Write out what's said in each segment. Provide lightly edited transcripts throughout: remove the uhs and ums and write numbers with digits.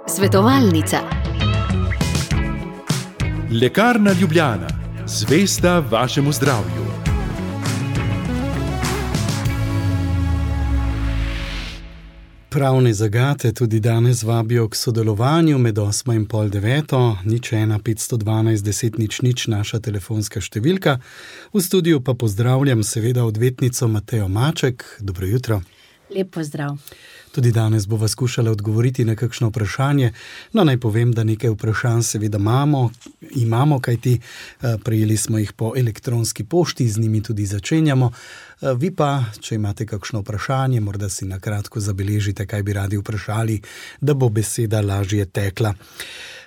Svetovalnica. Lekarna Ljubljana, zvesta vašemu zdravju. Pravne zagate tudi danes vabijo k sodelovanju med 8 in pol 9, 01 512 10 00 naša telefonska številka. V studiu pa pozdravljam seveda odvetnico Matejo Maček. Dobro jutro. Lep pozdrav. Tudi danes bova skušala odgovoriti na kakšno vprašanje. No, naj povem, da nekaj vprašanj seveda imamo, kajti prejeli smo jih po elektronski pošti, z njimi tudi začenjamo. Vi pa, če imate kakšno vprašanje, morda si na kratko zabeležite, kaj bi radi vprašali, da bo beseda lažje tekla.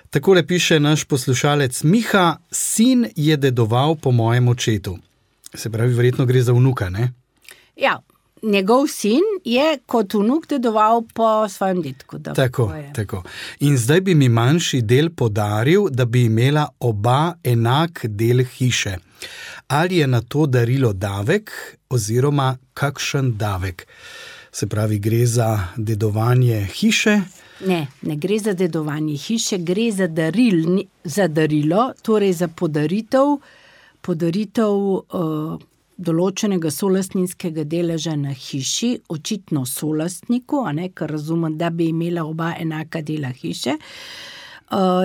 Takole piše naš poslušalec Miha: sin je dedoval po mojem očetu. Se pravi, verjetno gre za vnuka, ne? Ja. Njegov sin je kot vnuk dedoval po svojem dedku. Tako. In zdaj bi mi manjši del podaril, da bi imela oba enak del hiše. Ali je na to darilo davek oziroma kakšen davek? Se pravi, gre za dedovanje hiše? Ne gre za dedovanje hiše, gre za darilo, torej za podaritev določenega solastninskega deleža na hiši, očitno solastniku, ker razumem, da bi imela oba enaka dela hiše.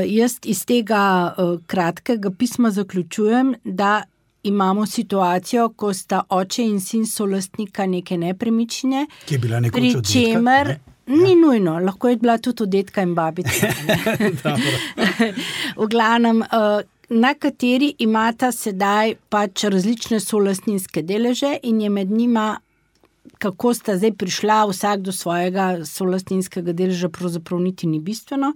Jaz iz tega kratkega pisma zaključujem, da imamo situacijo, ko sta oče in sin solastnika neke nepremičnine, ki je bila nekoč od dedka, ne? Ni nujno, lahko je bila tudi od dedka in babice. V glavnem, na kateri imata sedaj pač različne solastninske deleže in je med njima, kako sta zdaj prišla vsak do svojega solastninskega deleža, pravzaprav niti ni bistveno,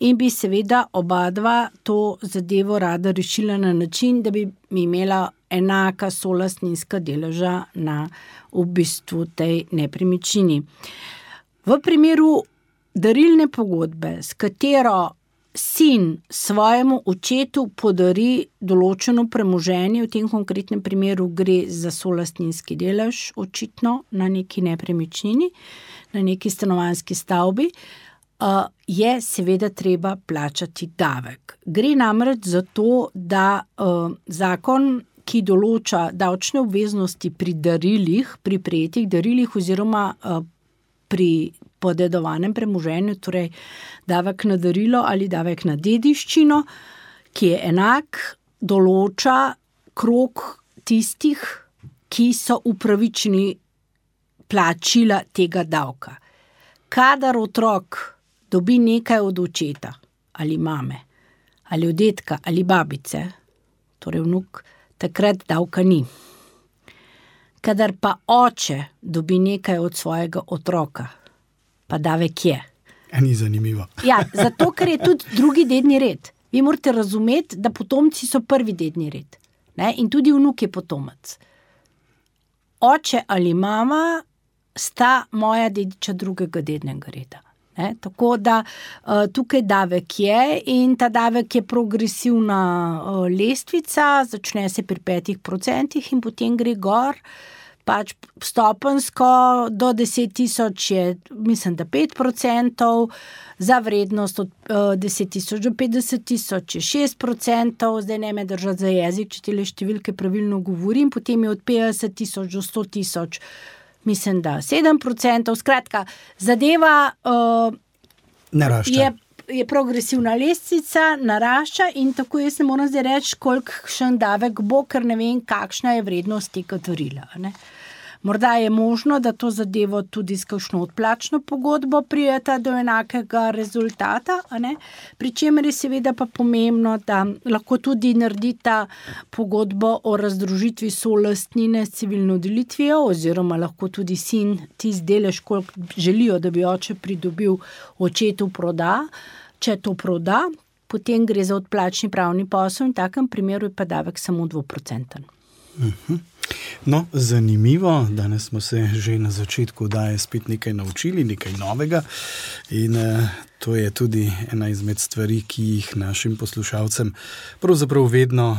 in bi seveda obadva to zadevo rada rešila na način, da bi imela enaka solastninska deleža na v bistvu tej nepremičnini. V primeru darilne pogodbe, s katero sin svojemu očetu podari določeno premoženje, v tem konkretnem primeru gre za solastninski delež, očitno na neki nepremičnini, na neki stanovanjski stavbi, je seveda treba plačati davek. Gre namreč za to, da zakon, ki določa davčne obveznosti pri darilih, pri prejetih darilih oziroma pri podedovanem premoženju, torej davek na darilo ali davek na dediščino, ki je enak, določa krog tistih, ki so upravičeni plačila tega davka. Kadar otrok dobi nekaj od očeta ali mame, ali od dedka ali babice, torej vnuk, takrat davka ni. Kadar pa oče dobi nekaj od svojega otroka, pa davek je. Ni zanimivo. Ja, zato, ker je tudi drugi dedni red. Vi morate razumeti, da potomci so prvi dedni red. Ne? In tudi vnuk je potomec. Oče ali mama sta moja dediča drugega dednega reda. Ne? Tako da tukaj davek je in ta davek je progresivna lestvica, začne se pri 5% in potem gre gor. Pač stopensko do 10.000 je, mislim, da 5%, za vrednost od 10.000 do 50.000 je 6%, zdaj ne me držati za jezik, če tele številke pravilno govorim, potem je od 50.000 do 100.000, mislim, da 7%, skratka, zadeva narašča. Je progresivna lestvica, narašča in tako jaz ne moram zdaj reči, kolikšen davek bo, ker ne vem, kakšna je vrednost tega darila. Morda je možno, da to zadevo tudi s kakšno odplačno pogodbo prijeta do enakega rezultata, pri čemer je seveda pa pomembno, da lahko tudi naredita pogodbo o razdružitvi solastnine s civilno delitvijo oziroma lahko tudi sin tisti delež, koliko želijo, da bi oče pridobil, očetu proda. Če to proda, potem gre za odplačni pravni posel in v takem primeru je pa davek samo 2%. No, zanimivo, danes smo se že na začetku oddaje spet nekaj naučili, nekaj novega in To je tudi ena izmed stvari, ki jih našim poslušalcem pravzaprav vedno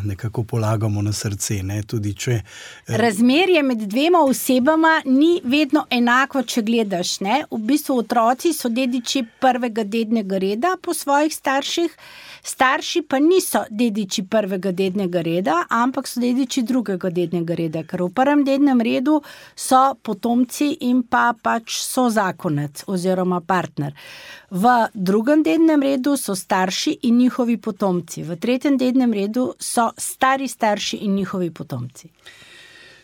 nekako polagamo na srce. Ne? Tudi če... Razmerje med dvema osebama ni vedno enako, če gledaš. Ne? V bistvu otroci so dediči prvega dednega reda po svojih starših, starši pa niso dediči prvega dednega reda, ampak so dediči drugega dednega reda, ker v prvem dednem redu so potomci in pač so zakonec oziroma partner. V drugem dednem redu so starši in njihovi potomci. V tretjem dednem redu so stari starši in njihovi potomci.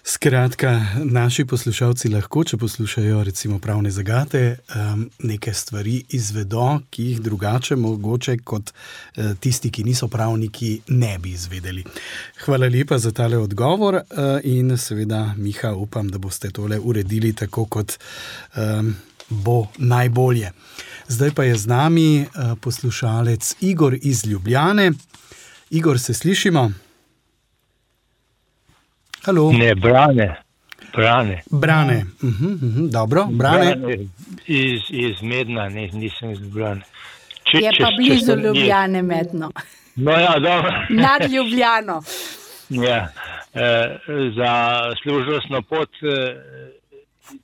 Skratka, naši poslušalci lahko, če poslušajo recimo pravne zagate, neke stvari izvedo, ki jih drugače mogoče kot tisti, ki niso pravniki, ne bi izvedeli. Hvala lepa za tale odgovor in seveda, Miha, upam, da boste tole uredili tako, kot bo najbolje. Zdaj pa je z nami poslušalec Igor iz Ljubljane. Igor, se slišimo? Halo. Ne, Brane. Brane. Dobro, Brane. Iz Medna, nisem iz Ljubljane. Je pa blizu Ljubljane Medno. No ja, dobro. Nad Ljubljano. Ja, za služnostno pot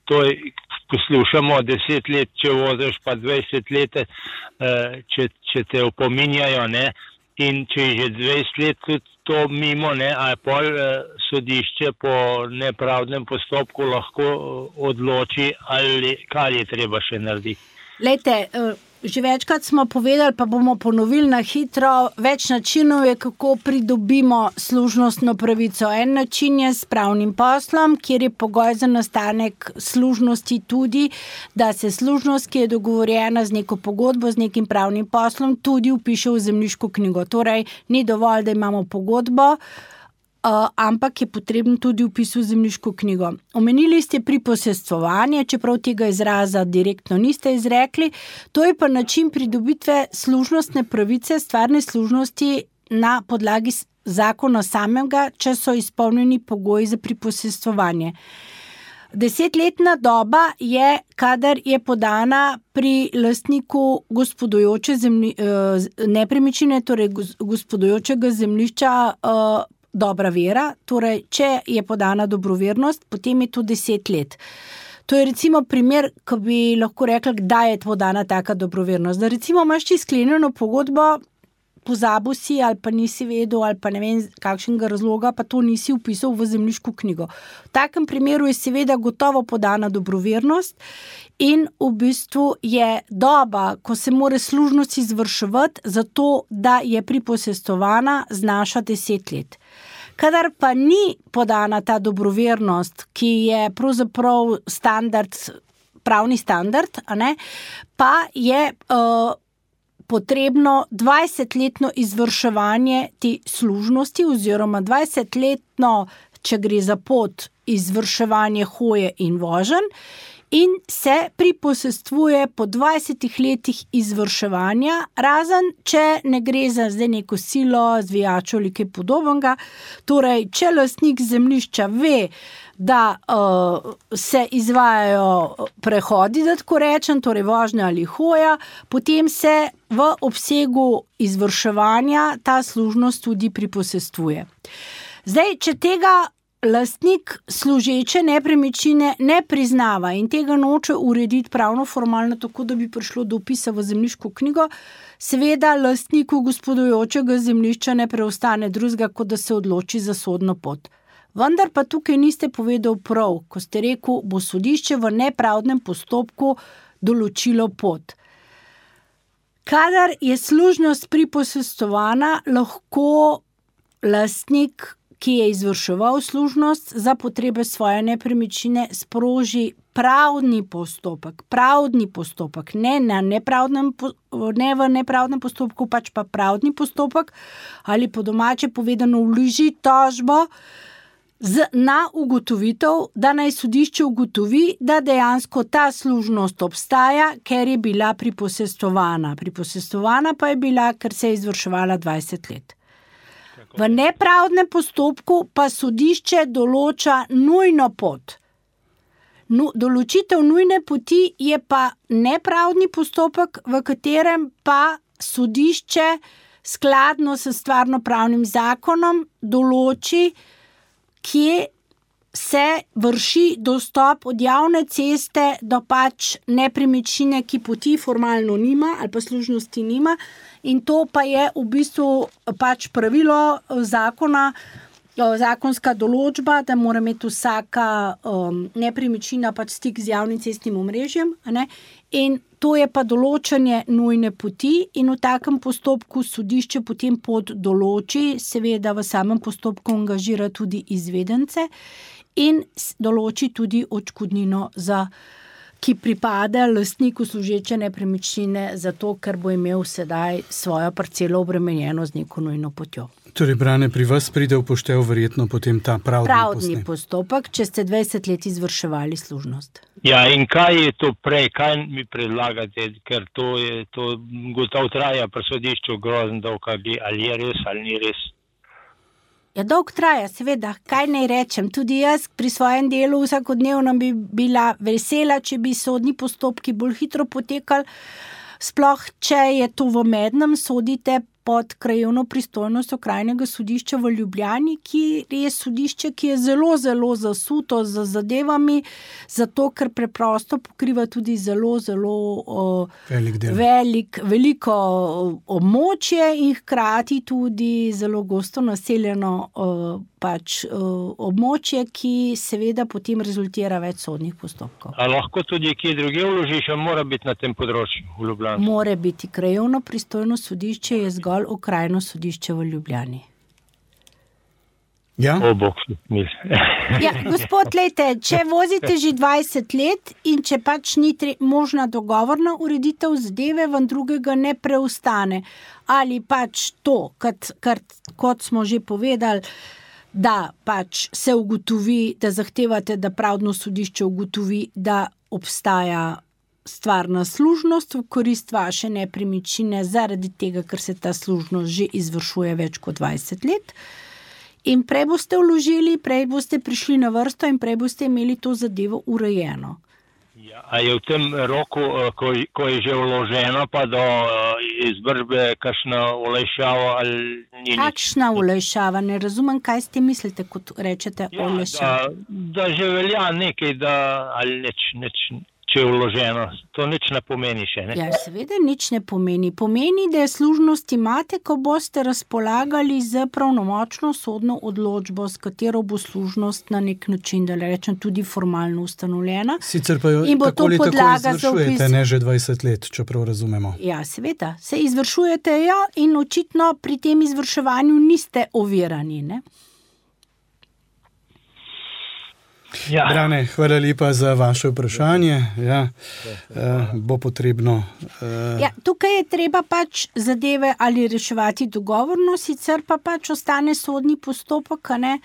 to poslušamo 10 let, če voziš pa 20 let, če te opominjajo, ne, in če je že 20 let tudi to mimo, ne, a pol sodišče po nepravdnem postopku lahko odloči, ali kaj je treba še narediti. Lejte, že večkrat smo povedali, pa bomo ponovili na hitro, več načinov je, kako pridobimo služnostno pravico. En način je s pravnim poslom, kjer je pogoj za nastanek služnosti tudi, da se služnost, ki je dogovorjena z neko pogodbo, z nekim pravnim poslom, tudi vpiše v zemljiško knjigo. Torej, ni dovolj, da imamo pogodbo, ampak je potreben tudi vpis v zemljiško knjigo. Omenili ste priposestvovanje, čeprav tega izraza direktno niste izrekli, to je pa način pridobitve služnostne pravice, stvarne služnosti na podlagi zakona samega, če so izpolnjeni pogoji za priposestvovanje. 10-letna doba je, kadar je podana pri lastniku gospodujoče nepremičnine, torej gospodujočega zemljišča, dobra vera, torej če je podana dobrovernost, potem je to 10 let. To je recimo primer, ko bi lahko rekla, kdaj je podana taka dobrovernost. Da recimo imaš ti sklenjeno pogodbo, pozabil si ali pa nisi vedel ali pa ne vem kakšnega razloga, pa to nisi vpisal v zemljiško knjigo. V takem primeru je seveda gotovo podana dobrovernost in v bistvu je doba, ko se mora služnost izvrševati, zato da je priposestovana, znaša 10 let. Kadar pa ni podana ta dobrovernost, ki je pravzaprav standard, pravni standard, pa je potrebno 20-letno izvrševanje te služnosti oziroma 20-letno, če gre za pot, izvrševanje hoje in voženj in se priposestvuje po 20 letih izvrševanja, razen če ne gre za zdaj neko silo, zvijačo ali kaj podobnega. Torej, če lastnik zemljišča ve, da se izvajajo prehodi, da tako rečem, torej vožnja ali hoja, potem se v obsegu izvrševanja ta služnost tudi priposestvuje. Zdaj, če tega lastnik služeče nepremičnine ne priznava in tega noče urediti pravno formalno tako, da bi prišlo do vpisa v zemljiško knjigo, seveda lastniku gospodujočega zemljišča ne preostane drugega, kot da se odloči za sodno pot. Vendar pa tukaj niste povedal prav, ko ste rekel, bo sodišče v nepravdnem postopku določilo pot. Kadar je služnost priposestovana, lahko lastnik, ki je izvrševal služnost za potrebe svoje nepremičnine, sproži pravni postopek, ne v nepravdnem postopku, pač pa pravni postopek, ali po domače povedano vloži tožbo na ugotovitev, da naj sodišče ugotovi, da dejansko ta služnost obstaja, ker je bila priposestovana. Priposestovana pa je bila, ker se je izvrševala 20 let. V nepravdnem postopku pa sodišče določa nujno pot. Določitev nujne poti je pa nepravdni postopek, v katerem pa sodišče skladno s stvarnopravnim zakonom določi, kje se vrši dostop od javne ceste do pač nepremičnine, ki poti formalno nima ali pa služnosti nima, in to pa je v bistvu pač pravilo zakona, zakonska določba, da mora imeti vsaka nepremičnina pač stik z javnim cestnim omrežjem, ne? In to je pa določanje nujne poti in v takem postopku sodišče potem pot določi, seveda v samem postopku angažira tudi izvedence in določi tudi odškodnino, ki pripada lastniku služeče nepremičnine, zato ker bo imel sedaj svojo parcelo obremenjeno z neko nujno potjo. Torej, Brane, pri vas pride v poštev verjetno potem ta pravdni postopek, če ste 20 let izvrševali služnost. Ja, in kaj je to prej, kaj mi predlagate, ker to gotovo traja pri sodišču grozen dolg, ali je res ali ni res? Ja, dolg traja, seveda, kaj naj rečem. Tudi jaz pri svojem delu vsakodnevno bi bila vesela, če bi sodni postopki bolj hitro potekali, sploh če je to v mednem, sodite pod krajevno pristojnost okrajnega sodišča v Ljubljani, ki je sodišče, ki je zelo, zelo zasuto z zadevami, zato ker preprosto pokriva tudi zelo, zelo veliko območje in hkrati tudi zelo gosto naseljeno območje, ki seveda potem rezultira več sodnih postopkov. A lahko tudi kje druge vložiš, a mora biti na tem področju v Ljubljani? Mora biti. Krajevno pristojno sodišče je zgolj okrajno sodišče v Ljubljani. Ja? Ja, gospod, lejte, če vozite že 20 let in če pač ni možna dogovorna ureditev zadeve, vam drugega ne preostane. Ali pač to, kot smo že povedali, da pač se ugotovi, da zahtevate, da pravdno sodišče ugotovi, da obstaja stvarna služnost v korist vaše nepremičnine zaradi tega, ker se ta služnost že izvršuje več kot 20 let. In prej boste vložili, prej boste prišli na vrsto in prej boste imeli to zadevo urejeno. Ja, a je v tem roku, ko je že vloženo, pa do izvršbe kakšna olajšava ali ni? Kakšna olajšava? Ne razumem, kaj ste mislite, kot rečete olajšava. Da že velja nekaj, ali nič, če je vloženo. To nič ne pomeni še, ne? Ja, seveda nič ne pomeni. Pomeni, da je služnost imate, ko boste razpolagali z pravnomočno sodno odločbo, s katero bo služnost na nek način, da rečem, tudi formalno ustanovljena. Sicer pa jo tako ali tako izvršujete, ne že 20 let, čeprav razumemo. Ja, seveda. Se izvršujete jo in očitno pri tem izvrševanju niste ovirani, ne? Ja. Brane, hvala lepa za vaše vprašanje. Ja, bo potrebno... Ja, tukaj je treba pač zadeve ali reševati dogovorno, sicer pa pač ostane sodni postopek, ne?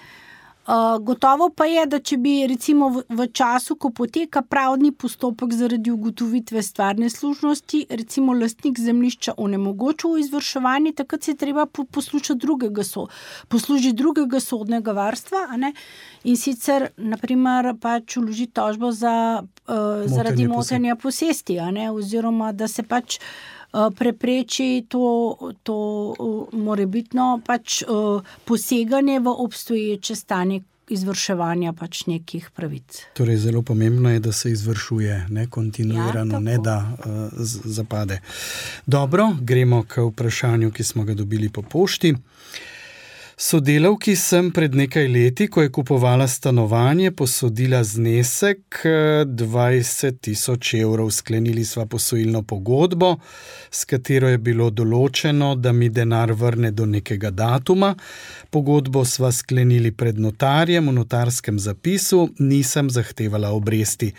Gotovo pa je, da če bi recimo v času, ko poteka pravdni postopek zaradi ugotovitve stvarne služnosti, recimo lastnik zemljišča onemogočil izvrševanje, takrat se je treba poslužiti drugega sodnega varstva, a ne? In sicer, naprimer, pač vložiti tožbo zaradi motenja posesti, a ne? Oziroma, da se pač prepreči to morebitno pač poseganje v obstoječe stanje izvrševanja pač nekih pravic. Torej, zelo pomembno je, da se izvršuje, ne kontinuirano, ne da zapade. Dobro, gremo k vprašanju, ki smo ga dobili po pošti. Sodelavki sem pred nekaj leti, ko je kupovala stanovanje, posodila znesek 20.000 evrov. Sklenili sva posojilno pogodbo, s katero je bilo določeno, da mi denar vrne do nekega datuma. Pogodbo sva sklenili pred notarjem v notarskem zapisu, nisem zahtevala obresti.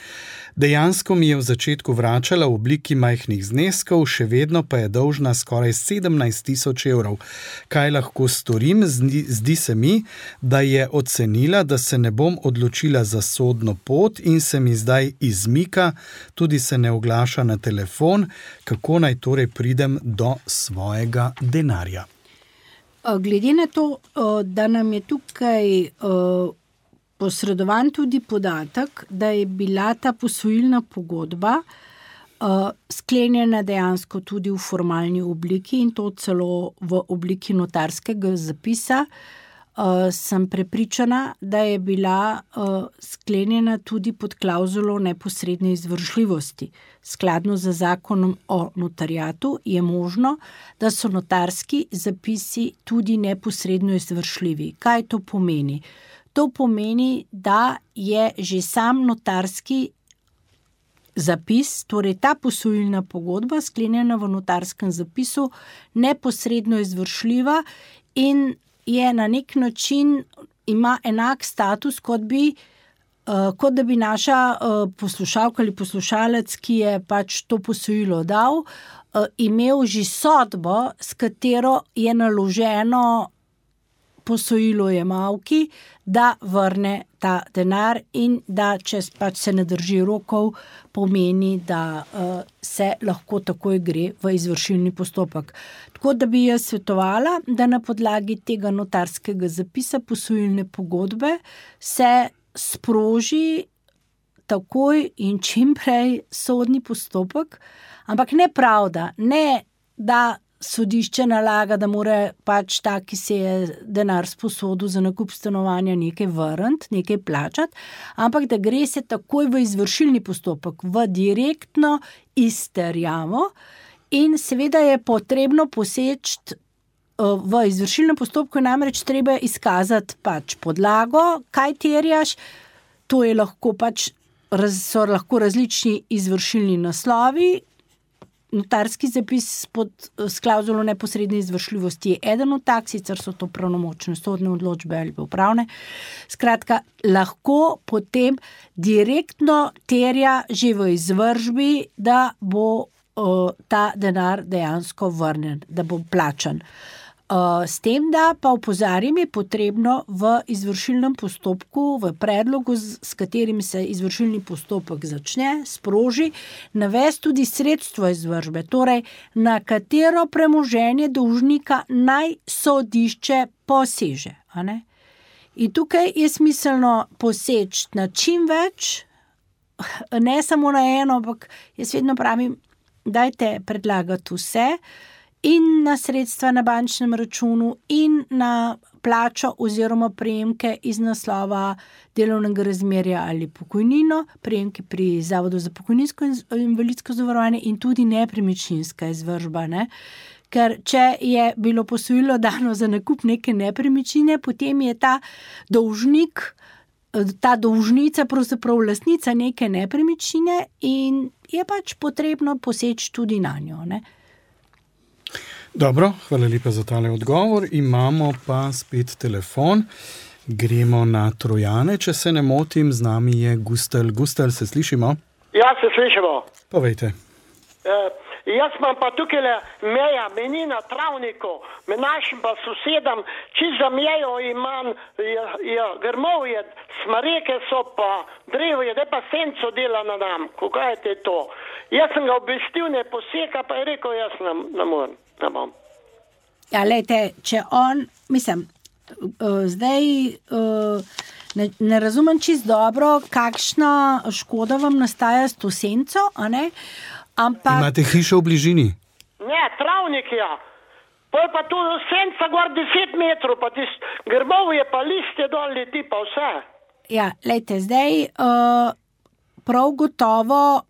Dejansko mi je v začetku vračala v obliki majhnih zneskov, še vedno pa je dolžna skoraj 17.000 evrov. Kaj lahko storim? Zdi se mi, da je ocenila, da se ne bom odločila za sodno pot in se mi zdaj izmika, tudi se ne oglaša na telefon. Kako naj torej pridem do svojega denarja? Glede na to, da nam je tukaj posredovan tudi podatek, da je bila ta posojilna pogodba sklenjena dejansko tudi v formalni obliki in to celo v obliki notarskega zapisa. Sem prepričana, da je bila sklenjena tudi pod klauzulo neposredne izvršljivosti. Skladno z zakonom o notariatu je možno, da so notarski zapisi tudi neposredno izvršljivi. Kaj to pomeni? To pomeni, da je že sam notarski zapis, torej ta posojilna pogodba, sklenjena v notarskem zapisu, neposredno izvršljiva in je na nek način ima enak status, kot da bi naša poslušalka ali poslušalec, ki je pač to posojilo dal, imel že sodbo, s katero je naloženo posojilojemalki, da vrne ta denar in da, če pač se ne drži rokov, pomeni, da se lahko takoj gre v izvršilni postopek. Tako da bi jaz svetovala, da na podlagi tega notarskega zapisa posojilne pogodbe se sproži takoj in čim prej sodni postopek, ampak ne pravda, ne da sodišče nalaga, da mora pač ta, ki se je denar sposodil za nakup stanovanja, nekaj vrniti, nekaj plačati, ampak da gre se takoj v izvršilni postopek, v direktno izterjavo in seveda je potrebno poseči v izvršilnem postopku, namreč treba izkazati pač podlago, kaj terjaš, to je lahko pač, so lahko različni izvršilni naslovi. Notarski zapis s klauzulo neposredne izvršljivosti je eden od tak, sicer so to pravnomočne sodne odločbe ali pa upravne. Skratka, lahko potem direktno terja že v izvršbi, da bo ta denar dejansko vrnen, da bo plačan. S tem, da pa opozarjam, je potrebno v izvršilnem postopku, v predlogu, s katerim se izvršilni postopek začne, sproži, navesti tudi sredstvo izvršbe, torej na katero premoženje dolžnika naj sodišče poseže. In tukaj je smiselno poseči na čim več, ne samo na eno, ampak jaz vedno pravim, dajte predlagati vse, in na sredstva na bančnem računu in na plačo oziroma prejemke iz naslova delovnega razmerja ali pokojnino, prejemke pri Zavodu za pokojninsko in invalidsko zavarovanje in tudi nepremičninska izvršba. Ker če je bilo posojilo dano za nakup neke nepremičnine, potem je ta dolžnik, ta dolžnica pravzaprav lastnica neke nepremičnine in je pač potrebno poseči tudi na njo. Dobro, hvala lepa za tale odgovor. Imamo pa spet telefon. Gremo na Trojane, če se ne motim. Z nami je Gustel. Gustel, se slišimo? Ja, se slišimo. Povejte. Jaz imam pa tukaj meja, meni na travniku, med našim pa sosedam, čist za mejo imam grmovje, smreke so pa drevje, da pa senco dela na nam. Kaj je to? Jaz sem ga obvestil, ne poseka, pa je rekel, jaz ne morem. Ja, lejte, če on, mislim, zdaj ne razumem čist dobro, kakšna škoda vam nastaja s to senco, ampak... Imate hišo v bližini? Ne, travnik, ja. Pol pa tu senca gor 10 metrov, pa grmovje, pa liste dol leti, pa vse. Ja, lejte, zdaj prav gotovo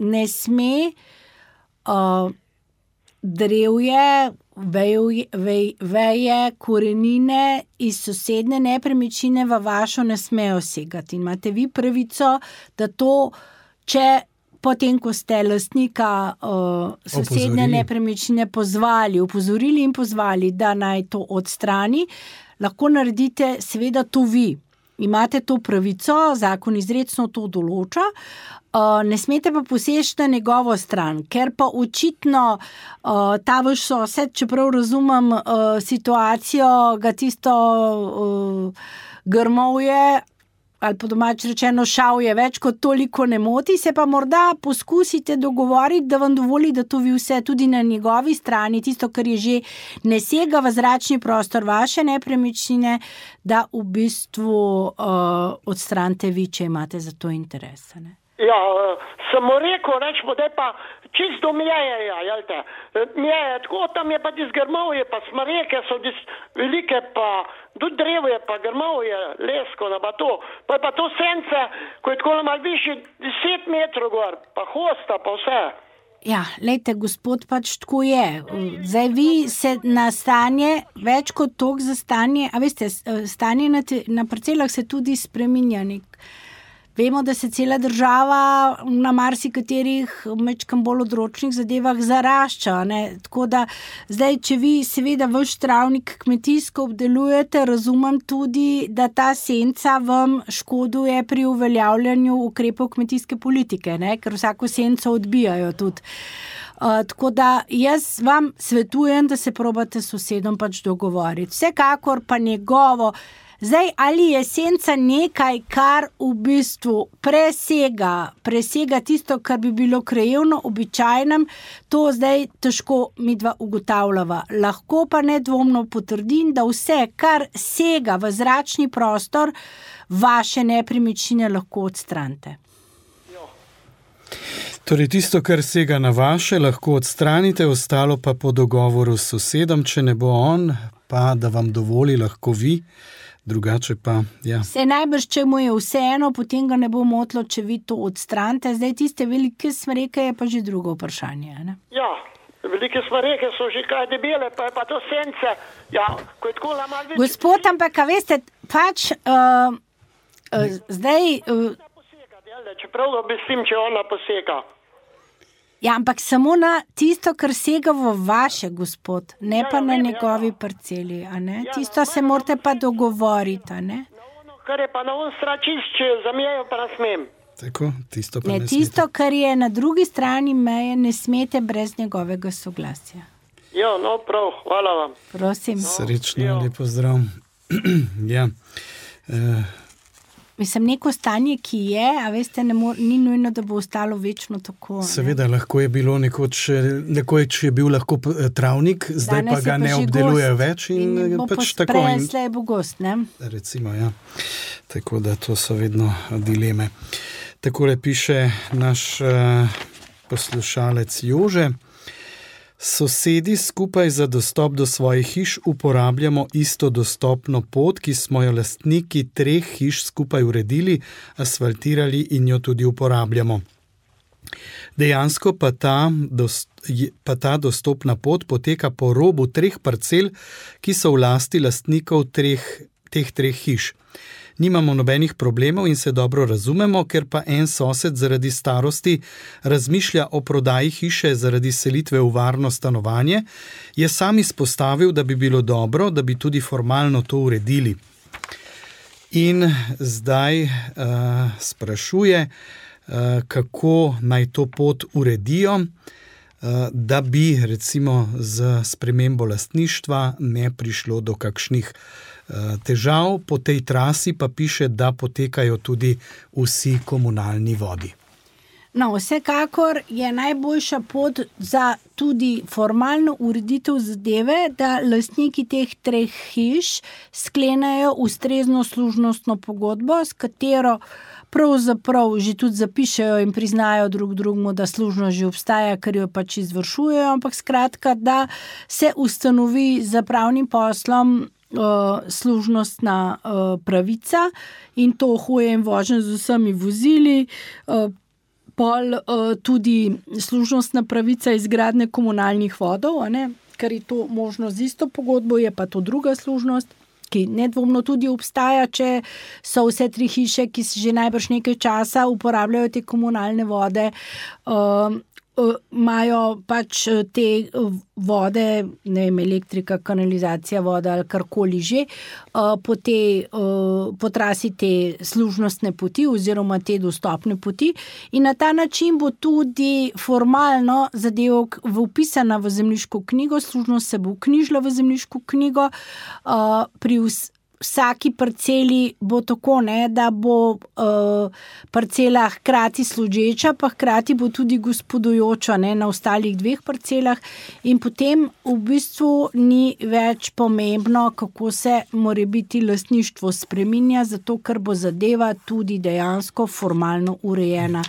ne sme drevje, veje, korenine iz sosedne nepremičnine v vašo ne smejo segati. In imate vi pravico, da to, če potem, ko ste lastnika sosedne nepremičnine opozorili in pozvali, da naj to odstrani, lahko naredite seveda to vi. Imate to pravico, zakon izrecno to določa, ne smete pa poseči na njegovo stran, ker pa očitno ta vaš sosed, čeprav razumem situacijo, ga tisto grmovje ali po domač rečeno šal je več kot toliko ne moti, se pa morda poskusite dogovoriti, da vam dovoli, da to vi vse tudi na njegovi strani, tisto, kar je že ne sega v zračni prostor vaše nepremičnine, da v bistvu odstranite vi, če imate za to interes. Ne? Ja, sem mu rekel, rečemo, da je pa čisto mjeje, jelte. Mjeje, tako tam je pa grmovje, pa smreke so velike, pa tudi drevo je, pa grmovje, lesko, pa to. Pa je pa to sence, ko je tako malo višji 10 metrov gor, pa hosta, pa vse. Ja, lejte, gospod, pač tako je. Zdaj vi se na stanje, več kot toliko za stanje, a veste, stanje na parcelah se tudi spreminja Vemo, da se cela država na marsikaterih mečkam bolj odročnih zadevah zarašča. Ne? Tako da zdaj, če vi seveda vaš travnik kmetijsko obdelujete, razumem tudi, da ta senca vam škoduje pri uveljavljanju ukrepov kmetijske politike, ne? Ker vsako senco odbijajo tudi. Tako da jaz vam svetujem, da se probate s sosedom pač dogovoriti. Vsekakor pa njegovo. Zdaj, ali je senca nekaj, kar v bistvu presega tisto, kar bi bilo krajevno običajnem, to zdaj težko midva ugotavljava. Lahko pa nedvomno potrdim, da vse, kar sega v zračni prostor, vaše nepremičnine lahko odstranite. Torej, tisto, kar sega na vaše, lahko odstranite, ostalo pa po dogovoru s sosedom, če ne bo on, pa da vam dovoli, lahko vi. Drugače pa, ja. Se najbrž, če mu je vseeno, potem ga ne bo motilo, če vi to odstranite. Zdaj tiste velike smreke je pa že drugo vprašanje. Ne? Ja, velike smreke so že kaj debele, pa je pa to sence. Ja, ko je tako malo več. Gospod, ampak, a veste, pač zdaj... Čeprav obistim, če ona posega. Ja, ampak samo na tisto, kar sega v vaše, gospod, ne pa na njegovi parceli, a ne? Tisto se morate pa dogovoriti, a ne? Kar je pa na on stran čist, če za mejo pa ne smem. Tako, tisto pa ne smete. Tisto, kar je na drugi strani meje, ne smete brez njegovega soglasja. Ja, no prav, hvala vam. Prosim. Srečno, lepo zdrav. Ja, Mislim, neko stanje, ki je, a veste, ni nujno, da bo ostalo večno tako. Seveda, lahko je bilo nekoč je bil lahko travnik, zdaj pa ga ne obdelujejo več in pač tako. In slej bo gost, ne? Recimo, ja. Tako da to so vedno dileme. Takole piše naš poslušalec Jože. Sosedi skupaj za dostop do svojih hiš uporabljamo isto dostopno pot, ki smo jo lastniki 3 hiš skupaj uredili, asfaltirali in jo tudi uporabljamo. Dejansko pa ta dostopna pot poteka po robu 3 parcel, ki so v lasti lastnikov teh 3 hiš. Nimamo nobenih problemov in se dobro razumemo, ker pa en sosed zaradi starosti razmišlja o prodaji hiše zaradi selitve v varno stanovanje, je sam izpostavil, da bi bilo dobro, da bi tudi formalno to uredili. In zdaj sprašuje, kako naj to pot uredijo, da bi recimo z spremembo lastništva ne prišlo do kakšnih težav. Po tej trasi pa piše, da potekajo tudi vsi komunalni vodi. No, vsekakor je najboljša pot za tudi formalno ureditev zadeve, da lastniki teh 3 hiš sklenejo ustrezno služnostno pogodbo, s katero pravzaprav že tudi zapišejo in priznajo drug drugemu, da služnost že obstaja, ker jo pač izvršujejo, ampak skratka, da se ustanovi za pravnim poslom služnostna pravica in to hoje in vožnje z vsemi vozili, pol tudi služnostna pravica izgradnje komunalnih vodov, ker je to možno z isto pogodbo, je pa to druga služnost, ki nedvomno tudi obstaja, če so vse 3 hiše, ki že najbrž nekaj časa uporabljajo te komunalne vode, imajo pač te vode, ne vem, elektrika, kanalizacija voda ali karkoli že, po trasi te služnostne poti oziroma te dostopne poti in na ta način bo tudi formalno zadevo vpisana v zemljiško knjigo, služnost se bo vknjižila v zemljiško knjigo, vsaki parceli bo tako, ne, da bo parcela hkrati služeča, pa hkrati bo tudi gospodujoča, ne, na ostalih 2 parcelah in potem v bistvu ni več pomembno, kako se morebiti lastništvo spreminja, zato ker bo zadeva tudi dejansko formalno urejena.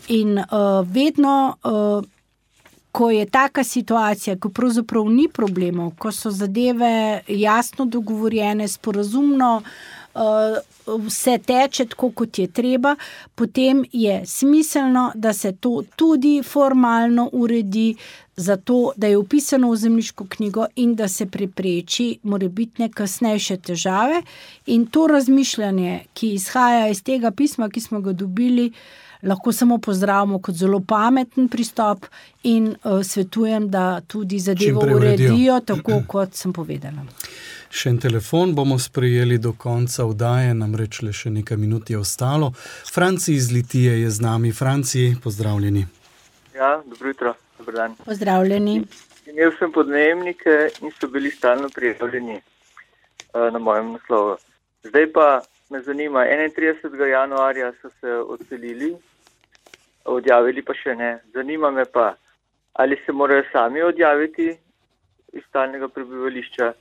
In vedno ko je taka situacija, ko pravzaprav ni problemov, ko so zadeve jasno dogovorjene, sporazumno, vse teče tako, kot je treba, potem je smiselno, da se to tudi formalno uredi, zato, da je vpisano v zemljiško knjigo in da se prepreči morebitne kasnejše težave. In to razmišljanje, ki izhaja iz tega pisma, ki smo ga dobili, lahko samo pozdravimo kot zelo pameten pristop in svetujem, da tudi zadevo uredijo, tako kot sem povedala. Še en telefon bomo sprejeli do konca oddaje, namreč le še nekaj minut je ostalo. Franci iz Litije je z nami. Franci, pozdravljeni. Ja, dobro jutro, dober dan. Pozdravljeni. Imel sem podnajemnike in so bili stalno prijavljeni na mojem naslovu. Zdaj pa me zanima, 31. januarja so se odselili, odjavili pa še ne. Zanima me pa, ali se morajo sami odjaviti iz stalnega prebivališča,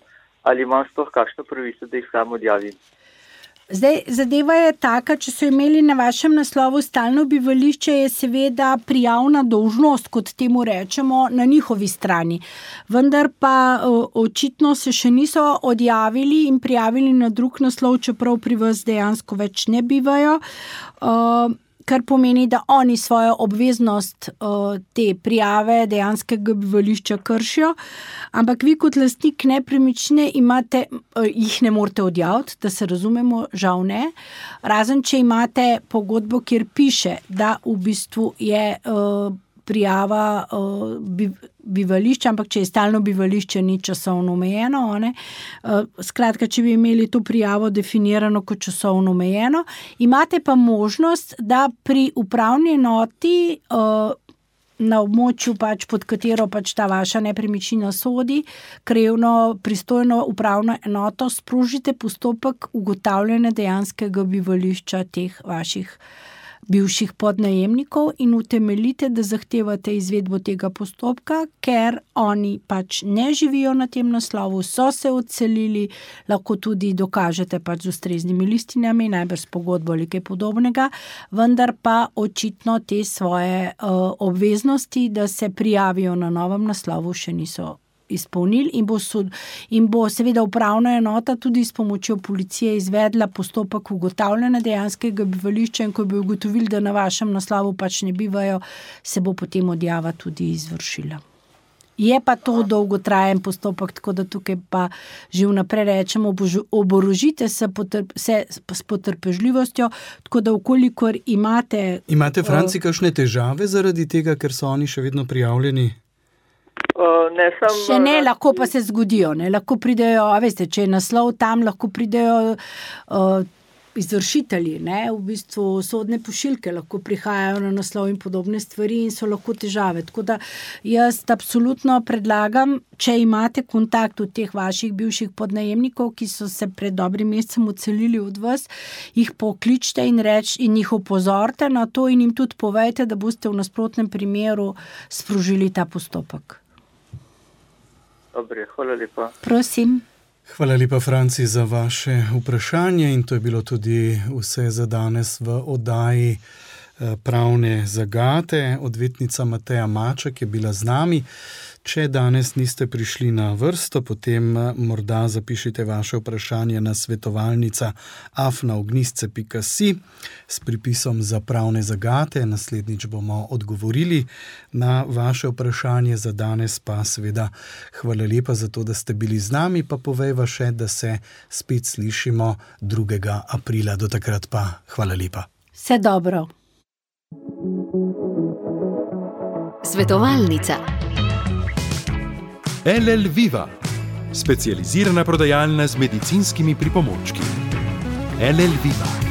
ali imam sploh kakšno pravico, da jih sam odjavim. Zdaj, zadeva je taka, če so imeli na vašem naslovu stalno bivališče, je seveda prijavna dolžnost, kot temu rečemo, na njihovi strani. Vendar pa očitno se še niso odjavili in prijavili na drug naslov, čeprav pri vas dejansko več ne bivajo, kar pomeni, da oni svojo obveznost te prijave dejanskega bivališča kršijo, ampak vi kot lastnik nepremičnine imate, jih ne morete odjaviti, da se razumemo, žal ne, razen če imate pogodbo, kjer piše, da v bistvu je prijava bivališča, ampak če je stalno bivališče, ni časovno omejeno. Skratka, če bi imeli to prijavo definirano kot časovno omejeno, imate pa možnost, da pri upravni enoti na območju, pod katero ta vaša nepremičnina sodi, krajevno pristojno upravno enoto, sprožite postopek ugotavljanja dejanskega bivališča teh vaših bivših podnajemnikov in utemeljite, da zahtevate izvedbo tega postopka, ker oni ne živijo na tem naslovu, so se odselili, lahko tudi dokažete z ustreznimi listinami, najbrž s pogodbo ali kaj podobnega, vendar pa očitno te svoje obveznosti, da se prijavijo na novem naslovu, še niso izpolnili in bo seveda upravna enota tudi s pomočjo policije izvedla postopek ugotavljanja dejanskega bivališča in ko bi ugotovili, da na vašem naslovu ne bivajo, se bo potem odjava tudi izvršila. Je pa to dolgotrajen postopek, tako da tukaj pa že vnaprej rečemo, oborožite se s potrpežljivostjo, tako da vkolikor imate... Imate, Franci, kakšne težave zaradi tega, ker so oni še vedno prijavljeni? Še ne, lahko pa se zgodijo, ne, lahko pridejo, veste, če je naslov tam, lahko pridejo izvršitelji, ne, v bistvu sodne pošiljke lahko prihajajo na naslov in podobne stvari in so lahko težave. Tako da jaz absolutno predlagam, če imate kontakt od teh vaših bivših podnajemnikov, ki so se pred dobrim mesecem odselili od vas, jih pokličite in jih opozorite na to in jim tudi povejte, da boste v nasprotnem primeru sprožili ta postopek. Dobre, hvala lepa. Prosim. Hvala lepa, Franci, za vaše vprašanje in to je bilo tudi vse za danes v oddaji Pravne zagate. Odvetnica Mateja Maček je bila z nami. Če danes niste prišli na vrsto, potem morda zapišite vaše vprašanje na svetovalnica@ognisce.si s pripisom za pravne zagate. Naslednjič bomo odgovorili na vaše vprašanje. Za danes pa seveda hvala lepa za to, da ste bili z nami, pa povejva še, da se spet slišimo 2. aprila. Do takrat pa hvala lepa. Vse dobro. Svetovalnica. LL Viva, specializirana prodajalna z medicinskimi pripomočki. LL Viva.